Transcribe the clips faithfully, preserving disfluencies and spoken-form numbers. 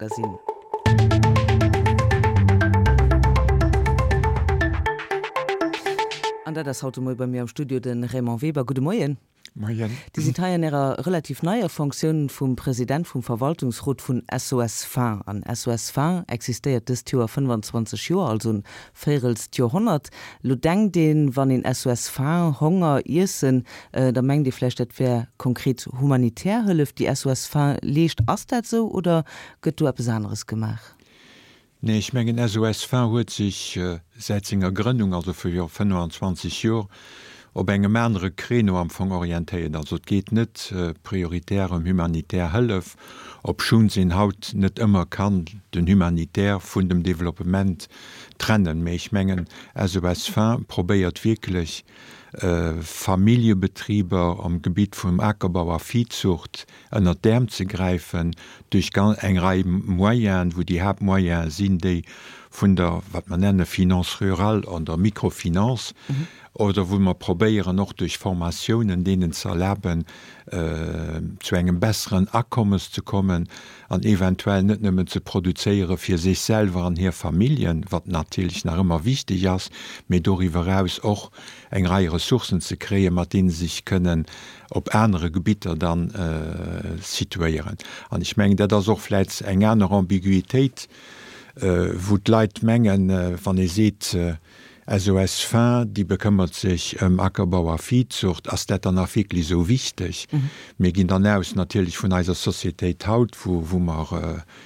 Magazine. An dat ass haut de Moie bei mir am Studio de Raymond Weber. Gudde Moien. Moien. Dir sidd hei an Ärer relativ neier Fonctioun vum President vum Verwaltungsrot vun SOS Faim. An SOS Faim existéiert dëst Joer fënnefanzwanzeg Joer, also en véirelst Joerhonnert. Lo denkt een, wann een SOS Faim, Honger, Iessen, da mengt ee vläicht, dat wär konkret humanitär Hëllef, déi SOS Faim leescht. Ass dat esou oder gëtt do eppes aneres gemaach? Nee, ech mengen SOS Faim huet sech säit senger Grënnung, also viru fënnefanzwanzeg Joer, op engem anere Créneau am Fong orientéiert. Also et geet net prioritär ëm humanitär Hëllef, obschonns een haut net ëmmer kann den Humanitaire vun dem Développement trennen. Mee ech mengen SOS Faim probéiert wierklech Familljebetriber am Gebitt vum Akerbau a Viehzucht ënnert d'Äerm ze gräifen duerch eng Rei Moyenen, wou déi Haaptmoyene sinn déi vun der, wat mer nenne Finance rurale an der Microfinance, oder wou mer probéieren och duerch Formatiounen deenen ze erlaben, zu engem besseren Akommes ze kommen an eventuell net nëmmen ze produzéiere fir sech selwer an hir Familljen, wat natierlech nach ëmmer wichteg ass, mee doriwwer eraus och eng Rei Ressourcen ze kréien, mat deene se sech kënnen op anere Gebitter dann situéieren. An ech mengen, dat ass och vläicht eng aner Ambiguitéit, wou d'Leit mengen, wann ee seet, SOS Faim, déi bekëmmert sech ëm Ackerbau a Viehzucht, ass dat dann nach wierklech esou wichteg? Mir ginn dann aus natierlech vun eiser Societéit haut, wou wou mer,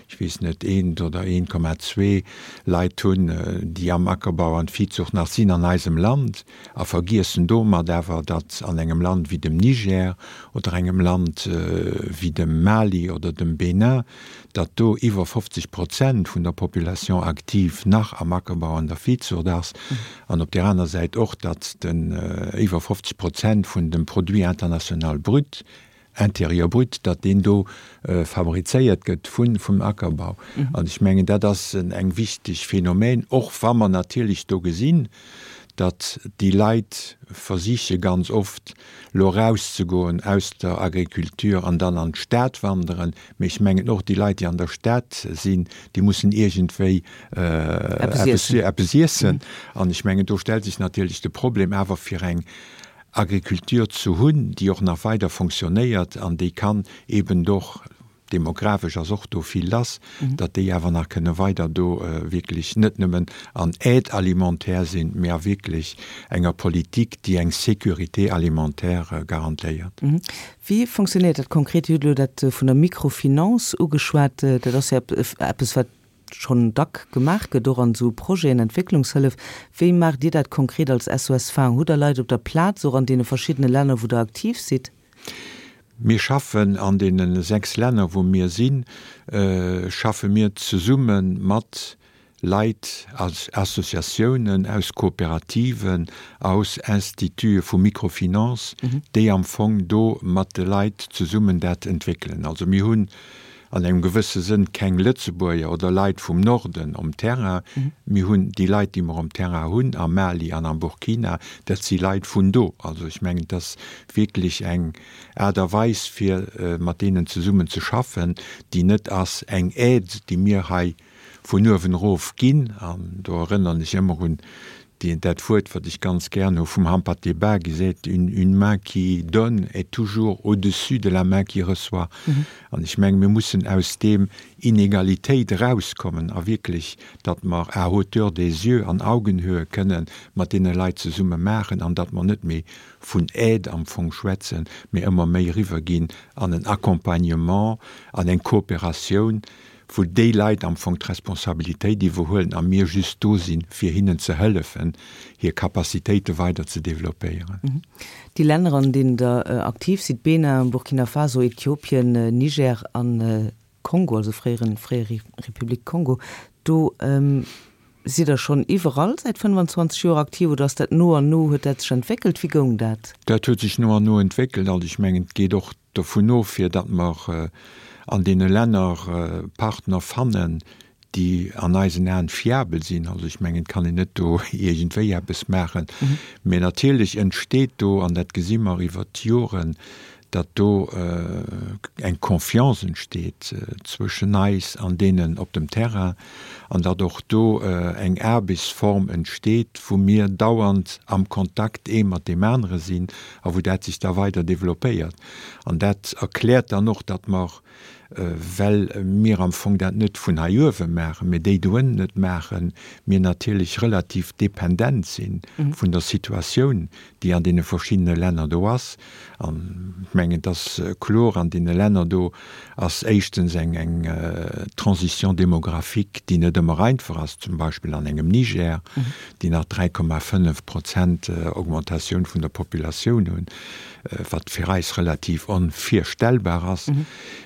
ech weess net, eent oder eent Komma zwee Leit hunn, déi am Ackerbau an Viehzucht nach sinn an eisem Land, a vergiessen domat awer, datt an engem Land wéi dem Niger oder engem Land wéi dem Mali oder dem Bénin, datt do iwwer fofzeg Prozent vun der Population active nach am Ackerbau an der Viehzucht ass, an op där aner Säit och, datt den iwwer fofzeg Prozent vun dem Produit international brut, intérieur brut, datt deen do fabrizéiert gëtt vun vum Ackerbau. An ech mengen, dat ass eng wichteg Phänomen, och wa mer natierlech do gesinn, datt déi Leit versiche ganz oft elo erauszegoen aus der Agriculture an dann an d'Stad wanderen. Mee ech mengen och déi Leit, déi an der Stad sinn, déi mussen iergendwéi eppes iessen. An ech mengen, do stellt sech natierlech de Problem awer fir eng Agriculture ze hunn, déi och nach weider fonctionnéiert an déi kann eben och, demografesch ass och do vill lass, datt déi awer nach kënne weider do wierklech net nëmmen an Aide alimentaire sinn, mä a wierklech enger Politik, déi eng Sécurité alimentaire garantéiert. Wéi fonctionnéiert dat konkret? Dir hutt elo dat vun der Microfinance ugeschwat. Dat ass jo eppes, wat schonn dack gemaach gëtt, och an esou Projeten, Entwécklungshëllef. Wéi maacht Dir dat konkret als SOS Faim? Hutt Der Leit op der Plaz, och an deene verschiddene Länner, wou Der aktiv sidd? Mir schaffen an deene sechs Länner, wou mir sinn, schaffe mir zesumme mat Leit aus Associatiounen, aus Kooperativen, aus Institute vu Microfinance, déi am Fong do mat de Leit zesummen dat entwéckelen. Also mir hunn an engem gewësse Sënn keng Lëtzebuerger oder Leit vum Norden um Terrain. Mir hunn déi Leit, déi mer um Terrain hunn, am Mali an am Burkina, dat si Leit vun do. Also ech mengen, et ass wierklech eng Aart a Weis, fir mat deenen zesummen ze schaffen, déi net ass eng Aide, déi mir hei vun uewen erof ginn. An do erënneren ech ëmmer un dat Wuert, wat ech ganz gären hu vum Hampâté Bâ, qui seet, Une main qui donne est toujours au-dessus de la main qui reçoit. An ech mengen, mir mussen aus deem Inegalitéit erauskommen a wierklech, datt mer à hauteur des yeux, an Augenhöhe kënne mat deene Leit zesumme maachen an datt mer net méi vun Aide am Fong schwätzen, mee ëmmer méi eriwwerginn an en Accompagnement, an eng Kooperatioun, wou déi Leit am Fong d'Responsabilitéit iwwerhuelen a mir just do sinn, fir hinnen ze hëllefen, hir Capacitéite weider ze développéieren. Déi Länner, an deenen Der aktiv sidd, Benin, Burkina Faso, Äthiopien, Niger a Kongo, also fréieren, fréier Republik Kongo, do sidd Der schonn iwwerall säit fënnfanzwanzeg Joer aktiv oder ass dat no an no, huet dat sech entwéckelt? Wéi goung dat? Dat huet sech no an no entwéckelt. Also ech mengen, et geet och dovun of, fir datt mer an deene Länner Partner fannen, déi an eisen Aen fiabel sinn. Also ech mengen, et kann een net do iergendwéi eppes maachen. Mä natierlech entsteet do, an dat gesi mer iwwert d'Joren, datt do eng Confiance entsteet zwëschen eis an deenen op dem Terrain an datt och do eng Aarbechtsform entsteet, wou mir dauernd am Kontakt ee mat deem anere sinn a wou dat sech da weider développéiert. An dat erkläert dann och, datt mer, well mir am Fong dat net vun hei uewe maachen, mee déi do ënnen et maachen, mir natierlech relativ dependent si vun der Situatioun, déi an deene verschiddene Länner do ass. An ech mengen, et ass kloer, an deene Länner do ass éischtens eng eng Transition démographique, déi net ëmmer einfach ass, zum Beispill an engem Niger, déi nach dräi Komma fënnef Prozent Augmentatioun vun der Populatioun hunn, wat fir eis relativ onvirstellbar ass.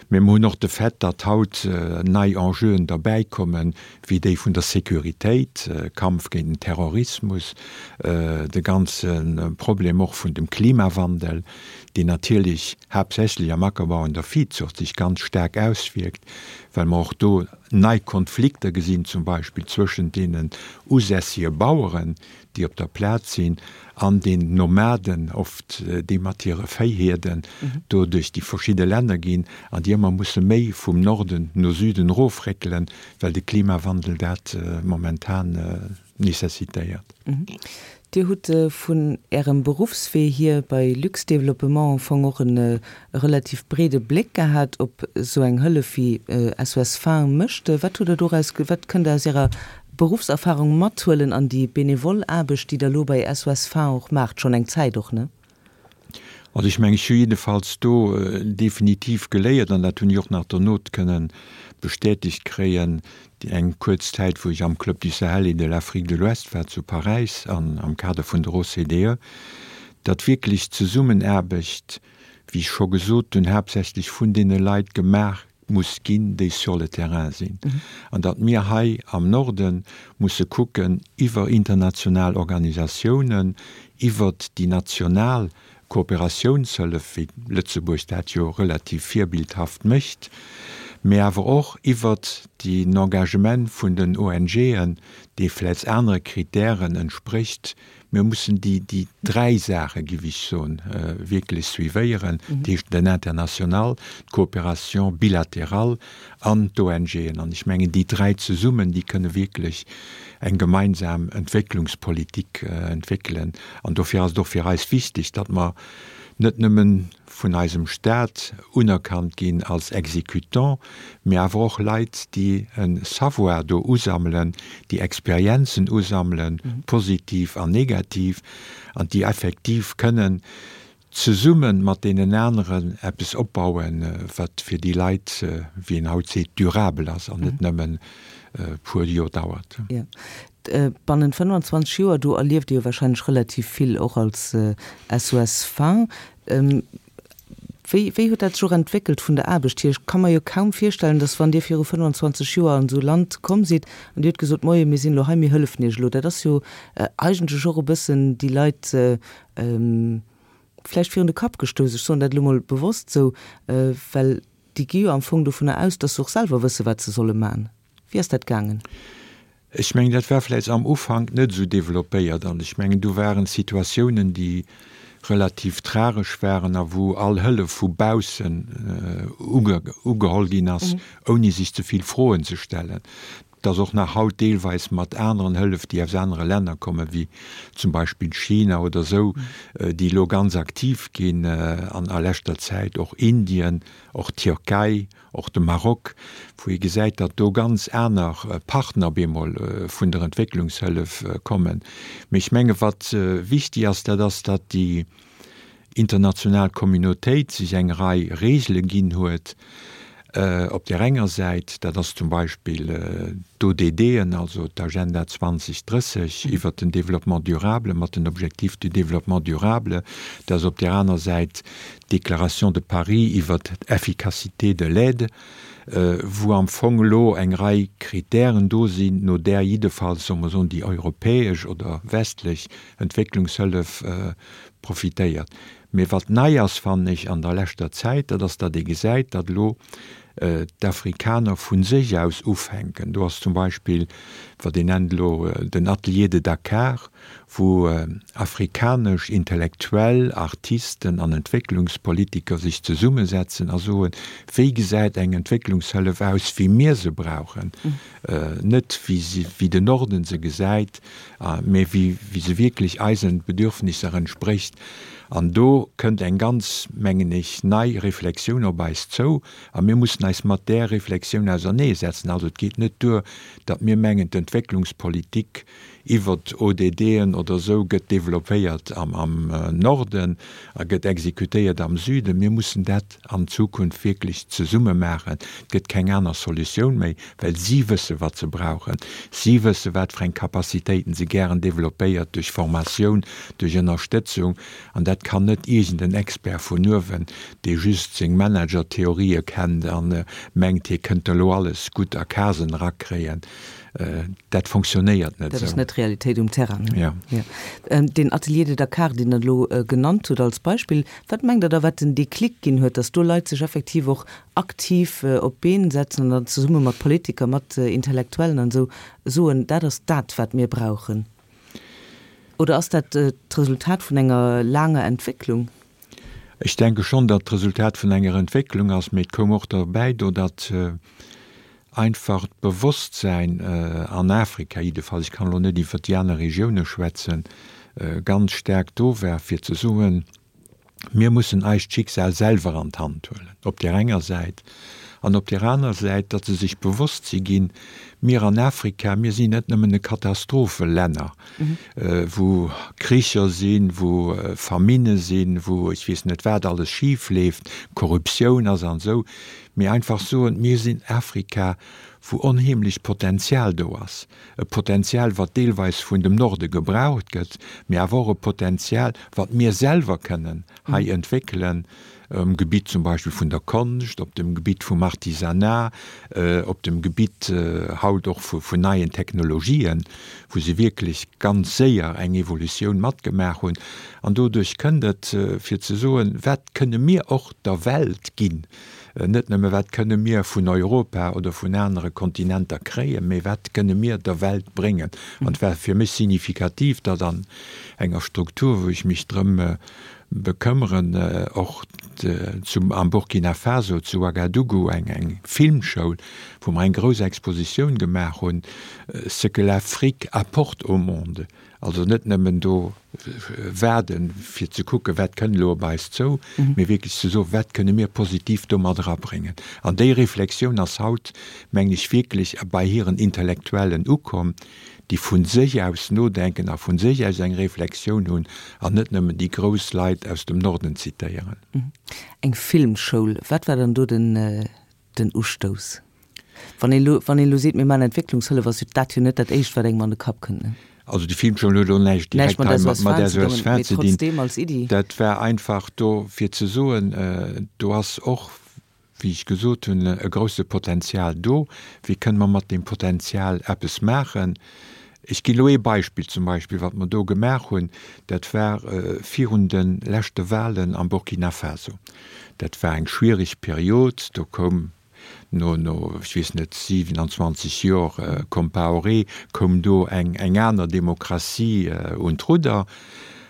Mee mer hunn och de Fait, datt haut nei Enjeuen derbäikommen, wéi déi vun der Sécuritéit, Kampf géint den Terrorismus, de ganze Problem och vun dem Klimawandel, deen natierlech haaptsächlech am Ackerbau an der Viehzucht sech ganz staark auswierkt, well mer och do nei Konflikter gesinn, zum Beispill zwëschent deenen usässige Baueren, déi op der Plaz sinn, an den Nomaden oft, déi mat hire Véihierden do duerch déi verschidde Länner ginn an déi ëmmer musse méi vum Norden no Süden erofréckelen, well de Klimawandel dat momentan nécessitéiert. Dir hutt vun Ärem Beruffswee hier bei Lux-Développement am Fong och e relativ breede Bléck gehat op esou eng Hëllef wéi S O S Faim mécht. Wat hutt Der doraus, wat kënnt Der aus Ärer Beruffserfahrung mathuelen an déi benevol Aarbecht, déi Der elo bei S O S Faim och maacht, schonn eng Zäit och, ne? Also ech mengen, ech hu jiddefalls do definitiv geléiert, an dat hunn ech och nach dono kënnen bestätegt kréien, déi eng kuerz Zäit, wou ech am Club du Sahel et de l'Afrique de l'Ouest war zu Paräis an am Kader vun der O C D E, datt wierklech d'Zesummenaarbecht, wéi ech scho gesot hunn, haaptsächlech vun deene Leit gemaach muss ginn, déi sur le terrain sinn. An datt mir hei am Norde musse kucken, iwwer international Organisatiounen, iwwert déi national Kooperatiounshëllef, wéi Lëtzebuerg dat jo relativ virbildhaft mécht, mee awer och iwwert den Engagement vun den O N G'en, dee vläicht anere Kritären entsprécht. Mir mussen déi, déi dräi Saache, géif ech soen, wierklech suivéieren, dat heescht den International, d'Coopération bilatérale an d'O N G'en. An ech mengen, déi dräi zesummen, déi kënne wierklech eng gemeinsam Entwécklungspolitik entwéckelen. An dofir ass et och fir eis wichteg, datt mer net nëmmen vun eisem Staat unerkannt ginn als Exécutant, mee awer och Leit, déi e Savoir do usammelen, déi Experienzen usammelen, positiv an negativ, an déi effektiv kënnen zesumme mat deenen aneren eppes opbauen, wat fir déi Leit, wéi een haut seet, durabel ass an net nëmmen e puer Joer dauert. Ja. Bannent fënnwanzwanzeg Joer, do erlieft Dir jo wahrscheinlech relativ vill och als S O S Faim. Wéi, wéi huet dat sech och entwéckelt vun der Aarbecht hier? Ech ka mer jo kaum virstellen, dass wann Dir viru fënnwanzwanzeg Joer an esou e Land komm sidd an Dir hutt gesot, Moie, mir sinn elo hei, mir hëllefen Iech elo. Dat ass jo eigentlech och e bëssen déi Leit vläicht virun de Kapp gestouss. Ech soen dat elo mol bewosst esou, well déi gi jo am Fong dovunner aus, dass se och selwer wësse wat se solle maachen. Wéi ass dat gaangen? Ech mengen, dat war vläicht am Ufank net esou développéiert an ech mengen, do waren Situatiounen, déi relativ tragesch waren a wou all Hëllef vu baussen ugeholl ginn ass, ouni sech ze vill Froen ze stellen. Et ass och nach haut deelweis mat aneren Hëllef, déi aus anere Länner kommen, wéi zum Beispill China oder esou, déi elo ganz aktiv ginn an a leschter Zäit, och Indien, och d'Tierkei, och de Maroc, wou ee gesäit, datt do ganz aner Partner bemol vun der Entwécklungshëllef kommen. Mee ech menge wat wichtig ass, dat ass, datt déi international Communautéit sech eng Rei Regele ginn huet. Op der enger Säit, dat ass zum Beispill d'O D D'en, also d'Agenda zwanzig drësseg iwwer den Développement durable mat den Objectifs du développement durable, dat ass op der aner Säit d'Déclaration de Paris iwwer d'Efficacité de l'aide, wou am Fong elo eng Rei Kritären do sinn, no där jiddefalls, soll mer soen, déi europäesch oder westlech Entwécklungshëllef profitéiert. Mee wat nei ass, fannen ech, an der leschter Zäit, dat ass, datt ee gesäit, datt elo d'Afrikaner vu sech aus ufänken. Do ass zum Beispill, wat een nennt elo den Atelier de Dakar, wou afrikanesch Intellektuell, Artisten an Entwécklungspolitiker sech zesummesetzen a soen, wéi gesäit eng Entwécklungshëllef aus, wéi mir se brauchen, net wéi se, wéi den Norden se gesäit, mä wéi se wierklech eisen Bedürfnisser entsprécht. An do kënnt eng ganz, mengen ech, nei Reflexioun op eis zou a mir mussen eis mat där Reflexioun auserneesetzen. Also et geet net duer, datt mir mengen, d'Entwécklungspolitik iwwert ODDen oder esou gëtt développéiert am Norden a gëtt exekutéiert am Süden. Mir mussen dat an Zukunft wierklech zesumme maachen. Et gëtt keng aner Solutioun méi, well si wësse wat se brauchen. Si wësse wat fir eng Capacitéiten se gären développéiert duerch Formatioun, duerch Ënnerstëtzung. An dat kann net iergend en Expert vun uewen, dee just seng Managertheorië kennt a mengt, hie kënnt elo alles gutt a Casen erakréien. Dat fonctionnéiert net Dat ass esou. net d'Realitéit um Terrain, ne? Ja. Ja. Deen Atelier de Dakar, deen Der elo genannt hutt als Beispill, wat mengt Der da, wat den Déclic ginn huet, datt do Leit sech effektiv och aktiv op d'Been setzen an dann zesumme mat Politiker, mat Intellektuellen an esou soen, dat ass dat, wat mir brauchen? Oder ass dat d'Resultat vun enger laanger Entwécklung? Ech denke schonn, datt d'Resultat vun enger Entwécklung ass, mee et koum och derbäi do, datt einfach d'Bewosstsäin an Afrika jiddefalls, ech kann elo net iwwert déi aner Regioune schwätzen, ganz staark do war, fir ze soen, Mir mussen eist Schicksal selwer an d'Hand huelen, op där enger Säit, an op där aner Säit, datt se sech bewosst si ginn, mir an Afrika, mir sinn net nëmmen e Katastrophelänner, wou Kricher sinn, wou Famine sinn, wou ech weess net wat alles schif leeft, Korruptioun ass an esou, mee einfach soen, mir sinn Afrika, wou onheemlecht Potenzial do ass, e Potenzial, wat deelweis vun dem Norde gebraucht gëtt, mee awer och e Potenzial, wat mir selwer kënnen hei entwéckelen, um Gebitt zum Beispill vun der Konscht, op dem Gebitt vum Artisanat, op dem Gebitt haut och vun neien Technologien, wou se wierklech ganz séier eng Evolutioun matgemaach hunn. An doduerch kënnt et, fir ze soen, wat kënne mir och der Welt ginn, net nëmme wat kënne mir vun Europa oder vun anere Kontinenter kréien, mee wat kënne mir der Welt bréngen. An et war fir mech signifikativ, datt an enger Struktur, wou ech mech drëm bekëmmeren, och zum am Burkina Faso zu Ouagadougou eng eng Filmschoul, wou mer eng grouss Expositioun gemaach hunn, Ce que l'Afrique apporte au monde. Also net nëmmen do waarden, fir ze kucken, wat kënn elo op eis zou, mee wierklech ze soen, wat kënne mir positiv do mat erabréngen. An déi Reflexioun ass haut, mengen ech, wierklech bei hiren Intellektuellen ukomm, déi vu sech aus nodenken a vu sech aus eng Reflexioun hunn an net nëmmen déi grouss Leit aus dem Norden zitéieren. Eng Filmschoul, wat war dann do den, den Ustouss? Wann een elo, wann een elo seet, mir maachen Entwécklungshëllef, ass jo dat jo net dat Éischt, wat engem an de Kapp kënnt, ne? Also déi Filmschoul huet elo näischt direkt hei mat mat S O S Fin ze ze dinn. Trotzdem als Iddi. Dat war einfach do fir ze soen, do ass och, wéi ech gesot hunn, e grouse Potenzial do. Wéi kënne mer mat deem Potenzial eppes maachen? Ech ginn elo ee Beispill, zum Beispill wat mer do gemaach hunn, dat war virun de leschte Wahlen am Burkina Faso. Dat war eng schwierig Period, do koum no, no, ech weess net, siwenanzwanzeg Jor Compaoré, koum do eng, eng aner Demokratie un d'Rudder.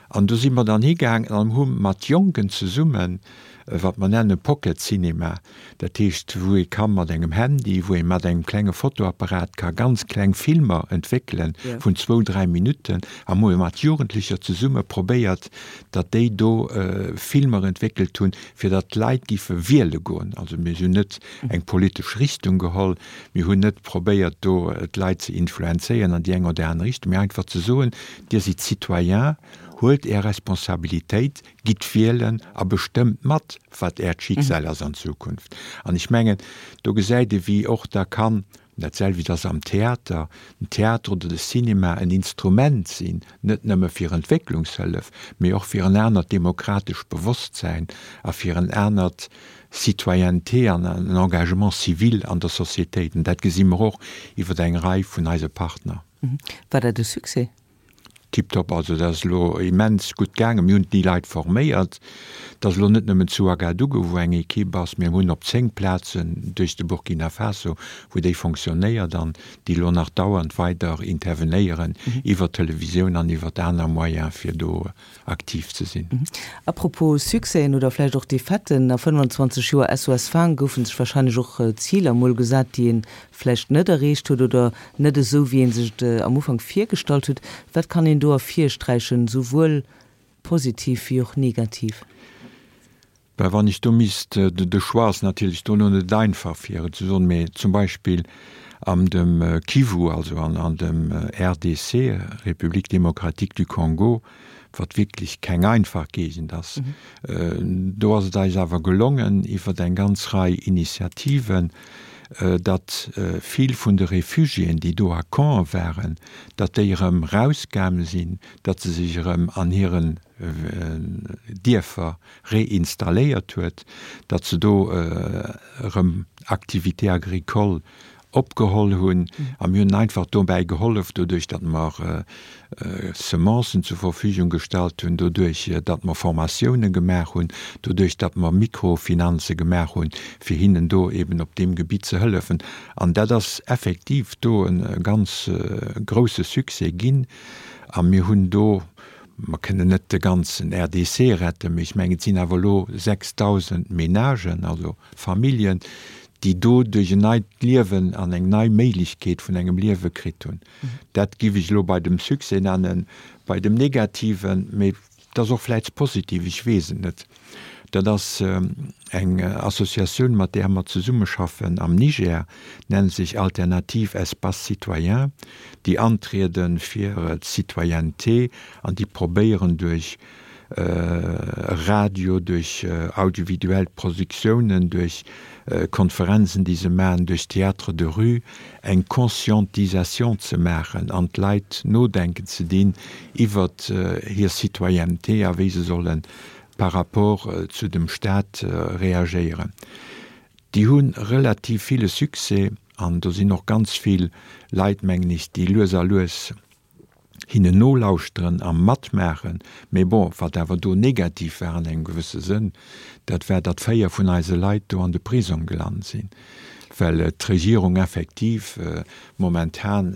An do si mer dann higaangen an hu mat Jonken zesummen, wat mer nenne Pocket Cinema, dat heescht wou ee ka mat engem Handy, wou ee mat engem klenge Fotoapparat ka ganz kleng Filmer entwéckelen vun zwou, dräi Minutten, a hu mat Jugendlecher zesumme probéiert, datt déi do Filmer entwéckelt hunn, fir datt d'Leit giffe wiele goen. Also mir hunn net eng politesch Richtung geholl, mir hunn net probéiert do d'Leit ze influenzéieren an déi eng oder aner Richtung, mee einfach ze soen, Dir sidd Citoyen, huelt Är Responsabilitéit, gitt wielen a bestëmmt mat, wat Äert Schicksal ass an Zukunft. An ech mengen, do gesäit ee wéi och da kann, dat selwecht ass am Theater, den Theater oder de Cinema en Instrument sinn, net nëmme fir Entwécklungshëllef, mee och fir en anert demokratesch Bewosstsäin a fir en anert Citoyenneté an en Engagement civil an der Societéit. An dat gesi mer och iwwer eng Rei vun eise Partner. War dat e Succès? Tiptop, also dat ass elo immens gutt gaangen. Mir hunn déi Leit forméiert. Et ass elo net nëmmen zu Ouagadougou, wou eng Ekipp ass, mir hunn op zéng Plazen duerch de Burkina Faso, wou déi fonctionnéiert an déi elo nach dauernd weider intervenéieren iwwer d'Televisioun an iwwer aner Moyene fir do aktiv ze sinn. A propos Succèsen oder vläicht och Defaiten, a fënnwanzwanzeg Joer S O S Faang goufe sech warscheinlech och Ziler mol gesat, déi ee vläicht net erreecht huet oder net esou, wéi ee sech et am Ufank virgestallt huet. Wat kann een do ervirsträichen, souwuel positiv wéi och negativ? Ben, wann ech do misst, de Choix ass natierlech do elo net einfach fir et ze soen, mee zum Beispill an dem Kivu, also an dem R D C, République démocratique du Congo, wat wierklech keng einfach Géigend ass, do ass et eis awer gelongen, iwwer eng ganz Rei Initiativen, datt vill vun de Réfugiéen, déi do a Campe waren, datt déi erëm erausgaange sinn, datt se sech erëm an hiren Dierfer réinstalléiert huet, datt se do erëm Activités agricoles opgeholl hunn. A mir hunn einfach dobäi gehollef, doduerch datt mer Semencen zur Verfügung gestallt hunn, doduerch datt mer Formatioune gemaach hunn, doduerch datt mer Mikrofinanze gemaach hunn, fir hinnen do eben op deem Gebitt ze hëllefen. An dat ass effektiv do e ganz grouse Succès ginn. A mir hunn do, mer kënnen net de ganzen R D C retten, mee ech mengen, et sinn awer elo sechsdausend Menagen, also Familljen, déi do duerch en neit Liewen an eng nei Méiglechkeet vun engem Liewe kritt hunn. Dat giff ech elo bei dem Succès nennen. Bei dem Negativen, mee et ass och vläicht positiv, ech weess et net, dat ass eng Associatioun, mat där mer zesummeschaffen am Niger, nennt sech Alternative Espace Citoyen, déi antriede fir d'Citoyenneté an déi probéieren duerch Radio, duerch audiovisuell Produktiounen, duerch Konferenzen, déi se maachen, duerch Théâtre de rue, eng Conscientisation ze maachen an d'Leit nodenken ze dinn iwwer hir Citoyenneté a wéi se solle par rapport zu dem Staat reagéieren. Déi hu relativ ville Succès an do sinn och ganz vill Leit, mengen ech, déi lues a lues hinnen nolauschteren a matmaachen. Mee bon, wat awer do negativ war an engem gewësse Sënn, dat war, datt véier vun eise Leit do an de Prisong gelant sinn, well d'Regierung effektiv momentan,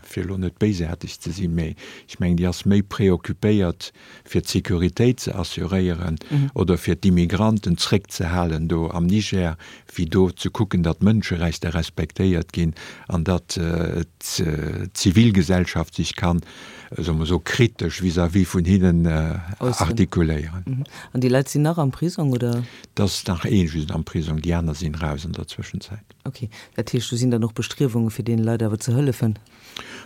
fir elo net béisaarteg ze sinn, mee ech mengen, déi ass méi preoccupéiert, fir d'Sécuritéit ze assuréieren oder fir d'Immigranten zréckzehalen do am Niger, wéi do ze kucken, datt d'Mënscherechter respektéiert ginn an datt d'Zivilgesellschaft sech kann, soe mer esou, kritesch vis-à-vis vun hinnen artikuléieren. An déi Leit sinn nach am Prisong, oder? Et ass nach ee just am Prisong, déi aner sinn eraus an der Zwëschenzäit. Ok, dat heescht, do sinn dann och Bestriewunge fir deene Leit awer ze hëllefen?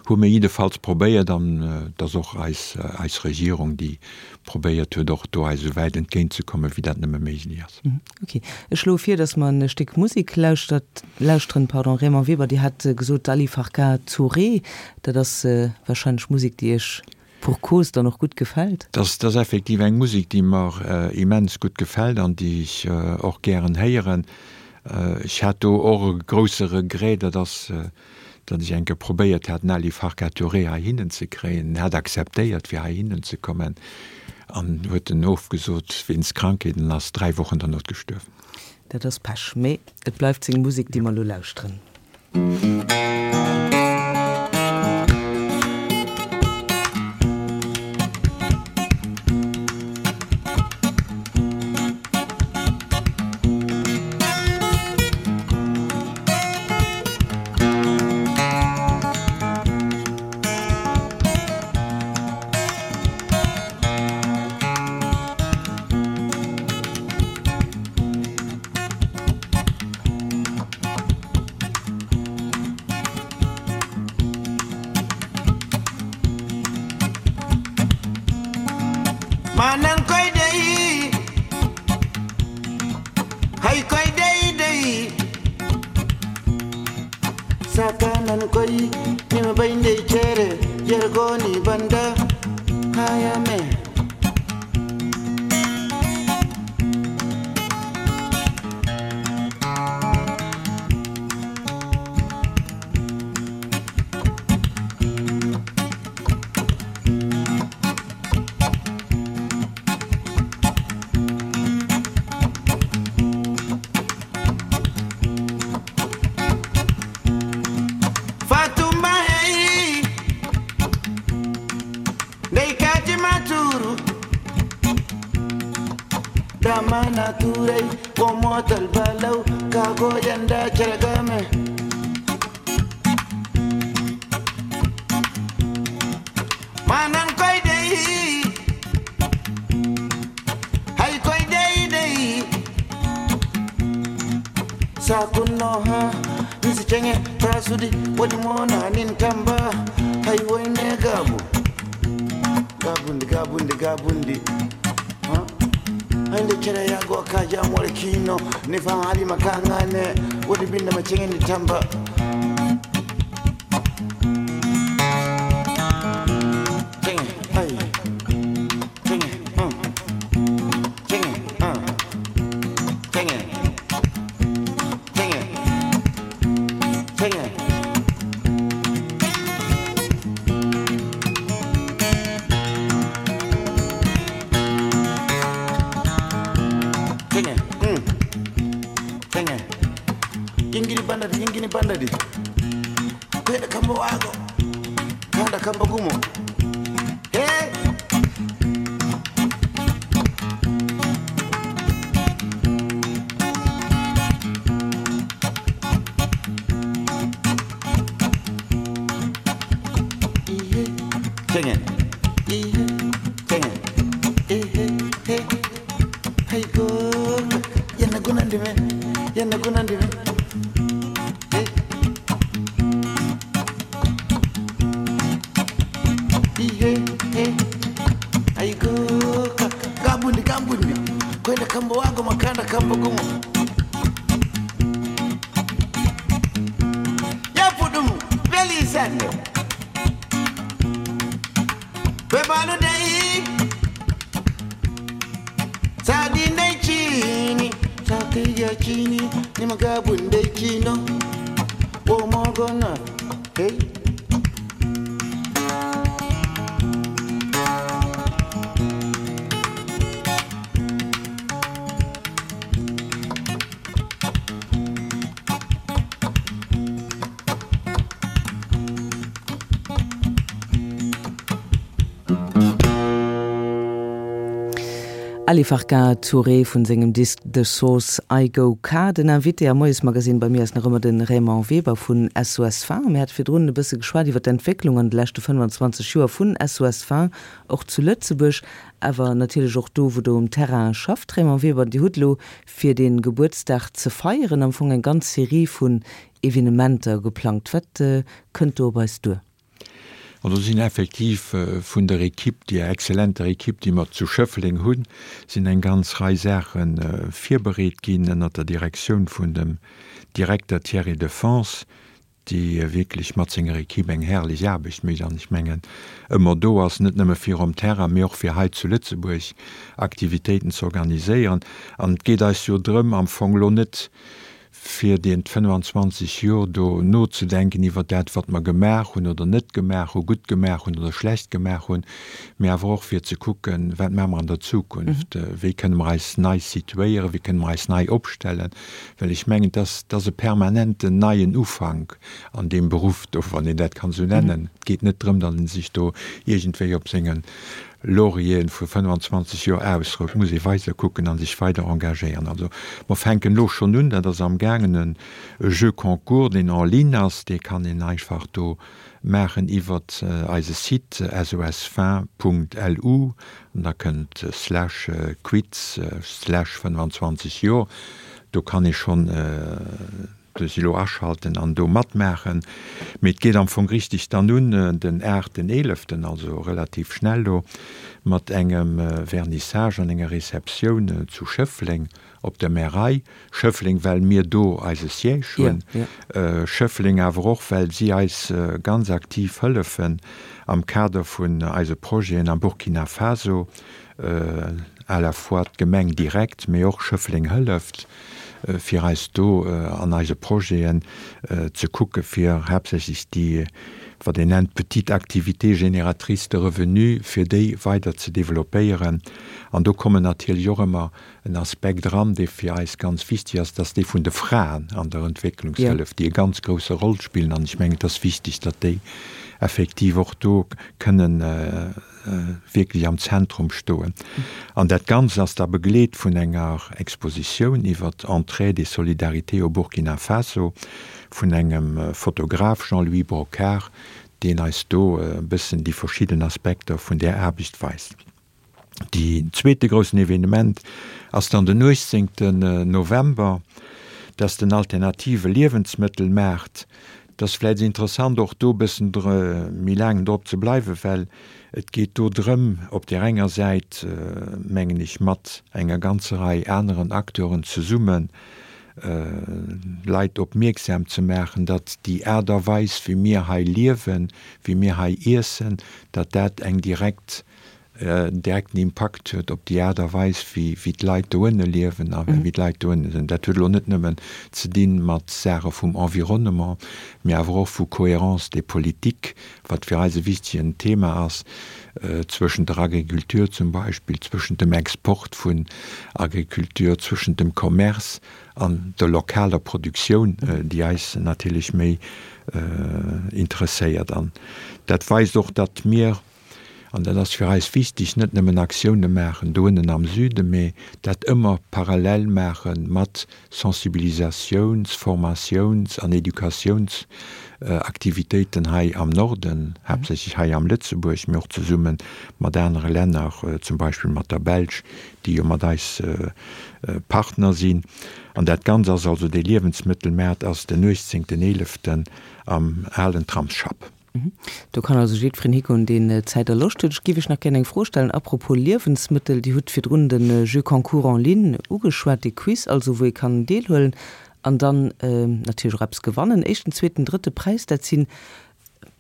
Hu mir jiddefalls probéiert an et ass och eis, eis Regierung, déi probéiert huet, och do eis esou wäit entgéintzekommen, wéi dat nëmme méiglech ass. Ok, ech schloe vir, datt mer e Stéck Musek lauschtert, lauschteren. Pardon, Raymond Weber, Dir hat gesot Ali Farka Touré, dat ass warscheinlech Musek, déi Iech pour cause dann och gutt gefält? Dat ass effektiv eng Musek, déi mer immens gutt gefält an déi ech och gären héieren. Ech hat do och e grousse Regret, dat ass, datt ech eng Kéier probéiert hat, den Ali Farka Touré heihinnen ze kréien. En hat akzeptéiert, fir heihinnen ze kommen, an huet en ofgesot wéinst Krankheet an ass dräi Wochen derno gestuerwen. Dat ass Pech, mee et bleift seng Musek, déi mer elo lauschteren. Turai wo motal balau kago yanda charagame Manan koi dei Hay koi dei dei Sakunno ha Nisi chenge tasudi wadi mona nin tamba Hay wene gabu Gabundi gabundi gabundi Ha Ande chere yago kaja mwale kino Nifa hali makangane Wadi binda machenge ni tamba Chenge ay Chenge mm Chenge mm Chenge Chenge Chenge Chenge mm Chenge Yingini bandadi yingini bandadi Kwenda kamba wago Kanda kamba gumo Hey Ihe Chenge Ihe Chenge Ihe He Hay go Yana gunandime Yana gunandime Hey Ihe He Ay go Gabundi gabundi Kwenda kamba wago makanda kamba gumo Yapudum Veli sanne Bebanu dei Sadi dai chini Sati ya chini Ni magabun dai chino Wo mogona Hey Ali Farka Touré vun sengem Disk The Source I Go Ka. Den Invité am Moiesmagazin bei mir ass nach ëmmer de Raymond Weber vun S O S Femmes. Mir hate virdrun e bësse geschwat iwwer d'Entwécklung an de leschte fënnwanzwanzeg Joer vun S O S Femmes, och zu Lëtzebuerg, awer natierlech och do, wou der um Terrain schafft. Raymond Weber, Dir hutt lo fir de Gebuertsdag ze feieren am Fong eng ganz Serie vun Evenementer geplangt. Wat äh, kënnt do op eis duer? Also sinn effektiv äh, vun der Ekipp, déi exzellenter Ekipp, déi mer zu Schëffleng hunn, sinn eng ganz Rei Saachen äh, virbereet ginn ënner der Direktioun vun dem Direkter Thierry Defense, déi äh, wierklech mat senger Ekipp eng herrlech Aarbecht mécht an ech mengen ëmmer do ass, net nëmme fir um Terrain, mee och fir hei zu Lëtzebuerg Aktivitéiten ze organiséieren. An et geet eis jo drëm am Fong lo net fir déi fënnwanzwanzeg Joer do nozedenken iwwer dat, wat mer gemaach hunn oder net gemaach hunn, gutt gemaach hunn oder schlecht gemaach hunn, mee awer och fir ze kucken, wat maache mer an der Zukunft, mhm. wéi kënne mer eis nei situéieren, wéi kënne mer eis nei opstellen, well ech mengen, dat dat ass e permanenten neien Ufank an deem Beruff do, wann een dat kann sou nennen. Mhm. Et geet net drëm, datt een sech do iergendwéi op senge Laurieren vu fënnwanzwanzeg Joer ausrout, muss ee weider kucken an sech weider engagéieren. Also mer fänken lo schonn un, dat ass am gaangen e Jeu Concours, deen en ligne ass, dee kann een einfach do maachen iwwer äh, eise Site S O S vingt Punkt L U an da kënnt slash äh, quiz äh, slash fënnwanzwanzeg Joer. Do kann ee schonn äh, de Silo aschalten an do matmaachen. Mee et geet am Fong richteg dann un äh, den aachten eeleften, also relativ schnell do, mat engem äh, Vernissage an enger Receptioun äh, zu Schëffleng op der Märei. Schëffleng, well mir do eise Siège hunn. Ja, ja. Äh, Schëffleng awer och, well si eis äh, ganz aktiv hëllefen am Kader vun eise Projeten am Burkina Faso, äh, à la fois d'Gemeng direkt, mee och Schëffleng hëlleft äh, fir eis do äh, an eise Projeten äh, ze kucke fir haaptsächlech déi wat een nennt petite activité génératrice de revenus fir déi weider ze developpéieren. An do kommen natierlech och ëmmer en Aspekt dran, dee fir eis ganz wichteg ass, dat ass dee vun de Fraen an der Entwécklungshëllef, Ja. déi e ganz grousse Roll spillen an ech mengen, dat ass wichteg, datt déi effektiv och do kënnen wierklech am Zentrum stoen. An dat Ganzt ass da begleet vun enger Expositioun iwwer Entraide et solidarité au Burkina Faso vun engem Fotograf, Jean-Louis Brocquart, deen eis do e bëssen déi verschidden Aspekter vun där Aarbecht weist. Deen zweete groussen Evenement ass dann den uechtzéngten November. Dat ass den alternative Liewensmëttelmaart. Et ass vläicht interessant och do e bëssen méi laang drop ze bleiwen, well et geet do drëm, op där enger Säit, mengen ech, mat enger ganzer Rei aneren Acteuren zesummen d'Leit opmierksam ze maachen, datt déi Aart a Weis, wéi mir hei liewen, wéi mir hei iessen, datt dat eng direkt, en direkten Impakt huet op déi Aart a Weis, wéi, wéi d'Leit doënne liewen a wéi d'Leit doënne sinn. Dat huet elo net nëmmen ze dinn mat Saache vum Environnement, mee awer och vu Cohérence des politiques, wat fir eis e wichtegen Thema ass, zwëschent der Agriculture zum Beispill, zwëschent dem Export vun Agriculture, zwëschent dem Commerce an der lokaler Produktioun, déi eis natierlech méi interesséiert. An dat weist och, datt mir, an dat ass fir eis wichteg, net nëmmen Aktioune maachen doënnen am Süden, mee dat ëmmer parallel maache mat Sensibilisatiouns-, Formatiouns an Educatiounsaktivitéiten hei am Norden, haaptsächlech hei am Lëtzebuerg, mee och zesumme mat anere Länner, zum Beispill mat der Belsch, déi jo mat eis Partner sinn. An dat Ganzt ass also, dee Liewensmëttelmaart ass den uechtzéngten eeleften am alen Tramsschapp. Do kann also jiddwereen higoen, deen Zäit a Loscht huet. Ech géif Iech nach gär eng Fro stellen à propos Liewensmëttel. Dir hutt virdrun de Jeu concours en ligne ugeschwat, dee Quiz also, wou ee kann deelhuelen an dann natierlech och eppes gewannen. Éischten, zweeten, drëtte Präis, dat si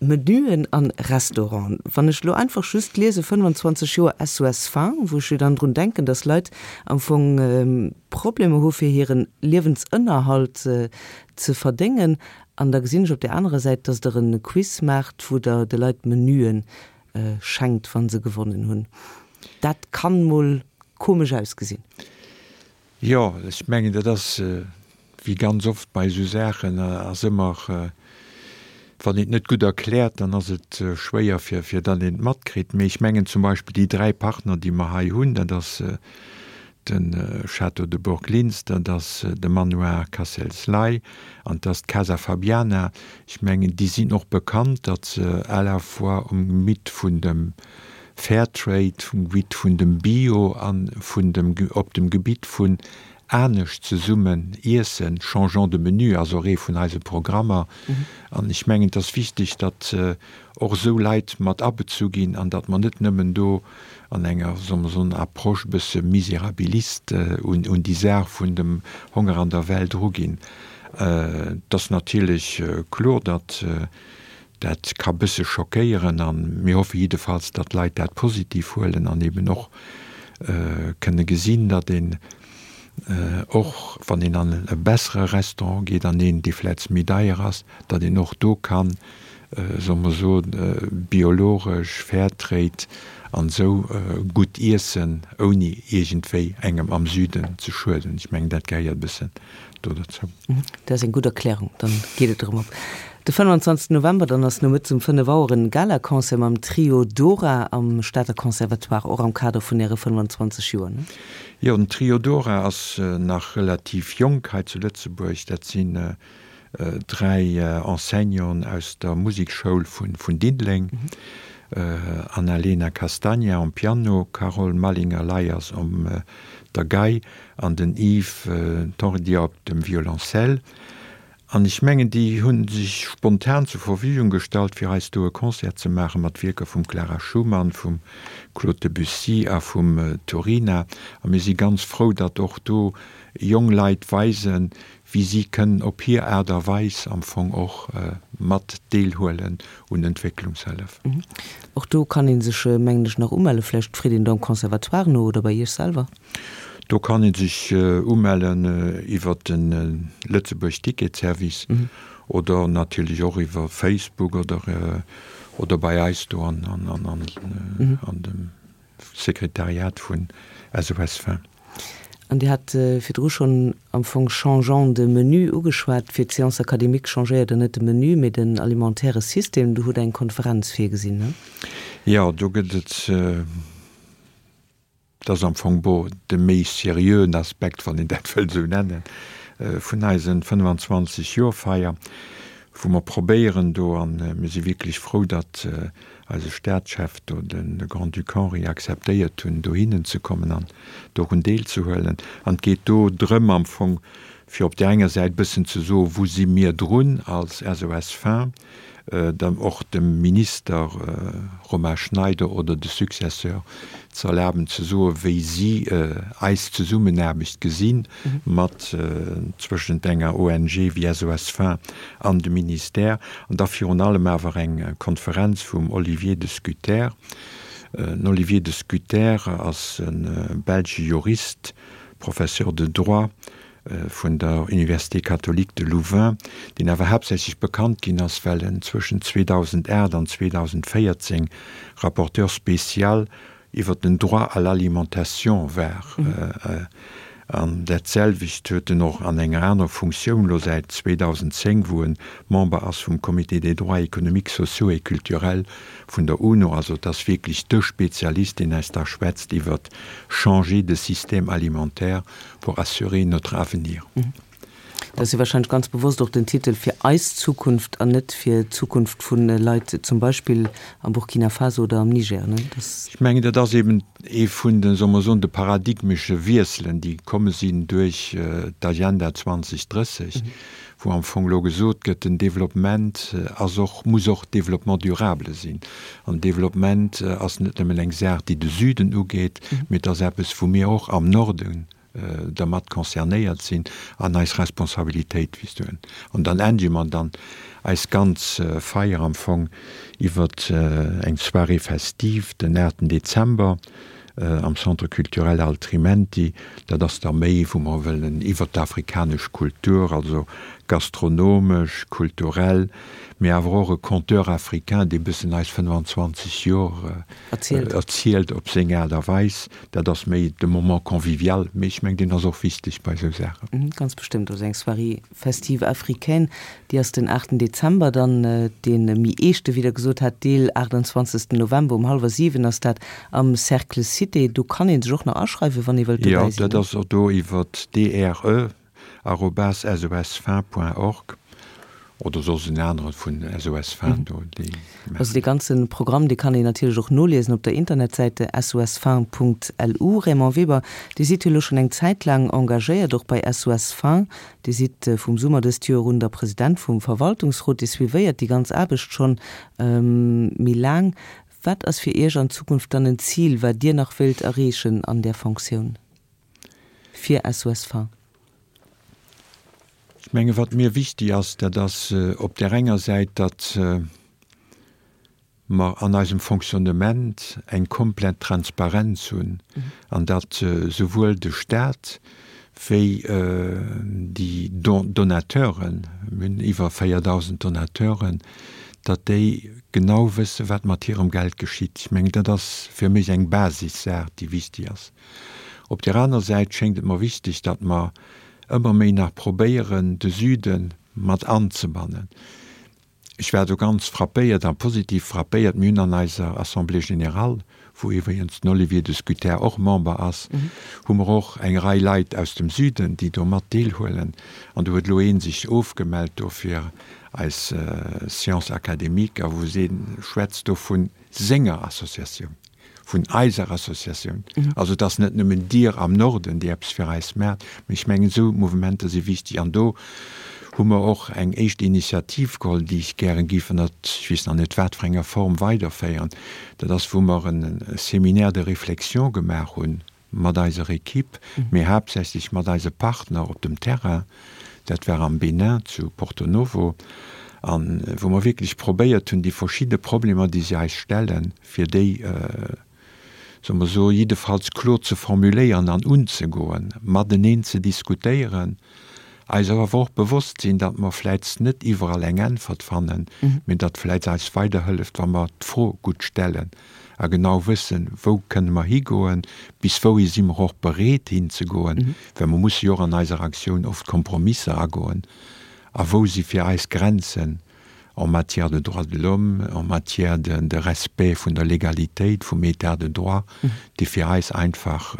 Menüen an Restauranten. Wann ech elo einfach just liese fënnwanzwanzeg Joer S O S Faim, wou ech jo dann drun denken, dass Leit am Fong Problemer hu fir hiren Liewensënnerhalt ze verdéngen, an da gesinn ech op där anerer Säit, dass Der e Quiz maacht, wou Der de Leit Menüen schenkt, wa se gewonnen hunn. Dat kann mol komesch ausgesinn. Jo, ech mengen, dat ass wéi ganz oft bei esou Saachen, ass ëmmer, wann een et net gutt erkläert, dann ass et schwéier fir fir datt een et matkritt. Mee ech mengen zum Beispill déi dräi Partner, déi mer hei hunn, dat ass de Château de Bourglinster, dat ass de Manoir Cassels-Ley an dat ass d'Casa Fabiana. Ech mengen, déi sinn och bekannt, datt se à la fois um Gebitt vun dem Fairtrade, vum Gebitt vun dem Bio a vun dem op dem Gebitt vun anescht zesummen iessen, Changeons de menu ass och ee vun eise Programmer. An ech mengen, et ass wichteg, datt och esou Leit mat abezu ginn an datt mer net nëmmen do an enger, solle mer soen, Approche e bësse misérabiliste un un déi Saach vun dem Honger an der Welt eruginn. Et ass natierlech kloer, datt dat ka bësse schockéieren a mir hoffe jiddefalls, datt d'Leit dat positiv huelen an eben och kënne gesinn, datt een och wann een an e bessere Restaurant geet, an een, dee vläicht méi deier ass, datt een och do kann, solle mer soen, biologesch, fairtrade an esou gutt iessen, ouni iergendwéi engem am Süden ze schueden. Ech mengen, dat gehéiert e bëssen do dozou. Dat ass eng gutt Erklärung, dann geet et erëm op. De fënnwanzwanzegsten November dann ass nomëttes um fënnef Auer en Galaconcert mam Trio Dora am Stater Conservatoire, och am Kader vun Äre fënnwanzwanzeg Joer, ne? Jo, den Trio Dora ass nach relativ jonk hei zu Lëtzebuerg. Dat sinn dräi Enseignanten aus der Musekschoul vun Diddeleng, Annalena Castagna um Piano, Carole Mallinger-Leyers um der Gei an den Yves Tordia op dem Violoncelle. An ech mengen, déi hu sech spontan zur Verfügung gestallt, fir eis do e Concert ze maache mat Wierker vum Clara Schumann, vum Claude Debussy a vum Turina. A mir si ganz frou, datt och do jong Leit weisen, wéi si kënnen op hir Aart a Weis am Fong och mat deelhuelen un Entwécklungshëllef. Och do kann ee sech, mengen ech, nach umelle. Vläicht freet een do am Conservatoire no oder bei Iech selwer. Do kann ee sech umellen iwwer de Lëtzebuerg Ticket Service oder natierlech och iwwer Facebook oder oder bei eis do an an an dem Sekretariat vun S O S Femmes. An Dir hat virdru schonn am Fong changeant de menu ugeschwat. Fir d'Séance académique changéiert Der net de Menu, mee den alimentaire System. Do hutt Der eng Konferenz virgesinn, ne? Jo, do gëtt et, dat ass am Fong, bon, de méi seriöen Aspekt, wann een dat wëllt esou nennen, vun eisen fënnwanzwanzeg Joer-Feier, wou mer probéieren do, a mir si wierklech frou, datt eise Staatschef do, de Grand-Duc Henri, akzeptéiert hunn, dohinnen ze kommen an dorun deelzehuelen. An et geet do drëm am Fong, fir op där enger Säit e bëssen ze soen, wou si mir drun als S O S Faim, dann och dem Minister Romain Schneider oder de Successeur ze erlaben ze soen, wéi si eis Zesummenaarbecht gesinn mat zwëschent enger O N G wéi S O S Faim an dem Ministère. An da virun allem awer eng Konferenz vum Olivier de Schutter. Den Olivier de Schutter ass e belsche Jurist, Professeur de droit vun der Université catholique de Louvain, deen awer haaptsächlech bekannt ginn ass, well en zwëschen zweedausendaacht an zweedausendvéierzéng Rapporteur spécial iwwer den Droit à l'alimentation war. An dat selwecht huet en och an enger anerer Funktioun elo säit zweedausendzéng, wou en Member ass vum Comité des droits économiques, sociaux et culturels vun der UNO. Also et ass wierklech de Spezialist, deen eis da schwätzt iwwer changer de système alimentaire pour assurer notre avenir. Dat ass jo wahrscheinlech ganz bewosst och den Titel, fir eis Zukunft an net fir d'Zukunft vu Leit zum Beispill am Burkina Faso oder am Niger, ne? Ech mengen, dat ass eben ee vun den, solle mer soen, de paradigmesche Wiesselen, déi komme sinn duerch d'Agenda zweedausendrësseg, wou am Fong elo gesot gëtt, den Développement ass och, muss och Développement durable sinn. An Développement ass net nëmmen eng Saach, déi de Süden ugeet, mee et ass eppes, wou mir och am Norden dermat concernéiert sinn an eis Responsabilitéit wisen. An dann endege mer dann eis ganz Feier am Fong iwwer eng Soirée festive den aachten Dezember am Centre culturel Altrimenti. Dat ass da méi, wou mer wëllen iwwer d'afrikanesch Kultur, also gastronomesch, kulturell, mee awer och e Conteur africain, dee bëssen eis fënnefanzwanzeg Joer erzielt op seng Aart a Weis. Dat ass méi de Moment convivial, mee ech mengen, deen ass och wichteg bei esou Saachen. Ganz bestëmmt. Also eng Soirée festive africaine, déi ass den aachten Dezember, dann dee méi eeschte, wéi Der gesot hat, Deel aachtanzwanzegsten November um hallwer siwen ass dat am Cercle Cité. Do kann ee sech och nach aschreiwen, wann ee wëllt dobäi sinn. Jo, dat ass och do iwwer D R E arobase S O S faim point org oder soss en anere vun S O S Faim do, déi maachen. Also dee ganze Programm, dee kann een natierlech och noliesen op der Internetsäite S O S faim punkt L U. Raymond Weber, Dir sidd jo elo schonn eng Zäit laang engagéiert och bei S O S Faim. Dir sidd vum Summer dëst Joer un der President vum Verwaltungsrot. Dir suivéiert déi ganz Aarbecht schonn méi laang. Wat ass fir Iech an Zukunft dann en Zil, wat Dir nach wéilt erreechen an där Fonctioun fir S O S Faim? Ech menge wat mir wichteg ass, dat ass op där enger Säit, datt mer an eisem Fonctionnement eng komplett Transparenz hunn an datt souwuel de Stat wéi déi Donateuren, mir hunn iwwer véierdausend Donateuren, datt déi genau wësse wat mat hirem Geld geschitt. Ech mengen, dat ass fir mech eng Basissaach, déi wichteg ass. Op där aner Säit schéngt et mer wichteg, datt mer ëmmer méi nach probéieren, de Süde mat anzebannen. Ech war do ganz frappéiert a positiv frappéiert, mir hunn an eiser Assemblée générale, wou iwwregens den Olivier de Schutter och Member ass, hu mer och eng Rei Leit aus dem Süden, déi do mat deelhuelen. An do huet elo ee sech ofgemellt do fir eis Séance académique a wou se schwätzt do vu senger Associatioun, vun eiser Associatioun. Also et ass net nëmmen Dir am Norden, déi eppes fir eis maacht, mee ech mengen esou Mouvementer si wichteg. An do hu mer och eng éischt Initiativ geholl, déi ech gären géif ënnert, ech weess nach net wat fir enger Form, weiderféieren. Dat ass wou mer e Séminaire de réflexion gemaach hunn mat eiser Equipe, mee haaptsächlech mat eise Partner op dem Terrain, dat war am Bénin zu Porto Novo, a wou mer wierklech probéiert hunn, déi verschidde Problemer, déi si eis stellen, fir déi, solle mer soen, jiddefalls kloer ze formuléieren an unzegoen, mateneen ze diskutéieren Eis awer och bewosst sinn, datt mer vläicht net iwwerall eng Äntwert fannen, mee datt vläicht eis weiderhëlleft, wa mer d'Fro gutt stellen a genau wëssen, wou kënne mer higoen, bis wouhi si mer och bereet hinzegoen, well mer musse jo och an eiser Aktioun oft Kompromisser agoen, a wou si fir eis Grenzen en matière de droits de l'homme, en matière de, de respect vun der Legalitéit, vum État de droit, déi fir eis einfach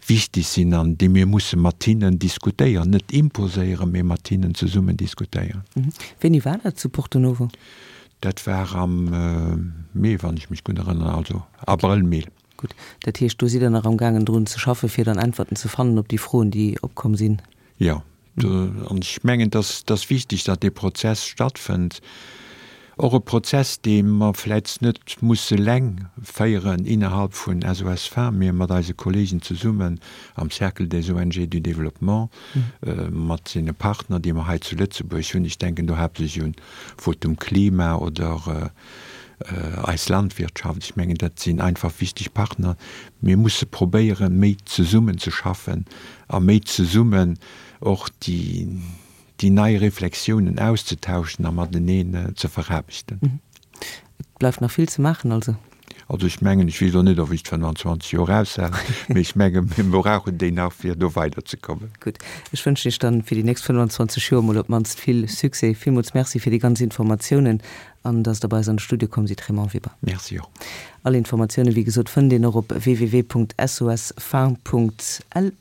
wichteg sinn an déi mir musse mat hinnen diskutéieren, net imposéieren, mee mat hinnen zesummen diskutéieren. Wéini war dat zu Porto Novo? Dat war am Mee, wann ech mech gutt erënneren, also Abrëll, Mee. Gutt, dat heescht, do sidd Der nach amgaangen drun ze schaffen, fir dann Äntwerten ze fannen op déi Froen, déi opkomm sinn? Jo, an ech mengen, dass dass wichteg, datt dee Prozess stattfënnt. Och e Prozess, dee mer vläicht net musse eleng féieren innerhalb vun SOS Femmes, mee mat eise Kollegen zesummen am Cercle des ONG du Développement, mat deene Partner, déi mer hei zu Lëtzebuerg hunn. Ech denken do haaptsächlech un Votum Klima oder eis Landwirtschaft. Ech mengen, dat sinn einfach wichteg Partner. Mir musse probéieren, méi zesummen ze schaffen a méi zesummen och déi déi nei Reflexiounen auszetauschen a mateneen ze veraarbechten. Et bleift nach vill ze maachen also? Also ech mengen, ech weess elo net, ob ech d'fënnwanzwanzeg Joer aushalen, mee ech menge mir brauchen déi nach, fir do weiderzekommen. Gutt, ech wënschen Iech dann fir déi nächst fënnwanzwanzeg Joer emol op d'mannst vill Succès. Villmools Merci fir déi ganz Informatiounen an dass Der bei eis an de Studio komm sidd, Raymond Weber. Merci och. All Informatiounen, wéi gesot, fënnt een och op www.sosfin.lu.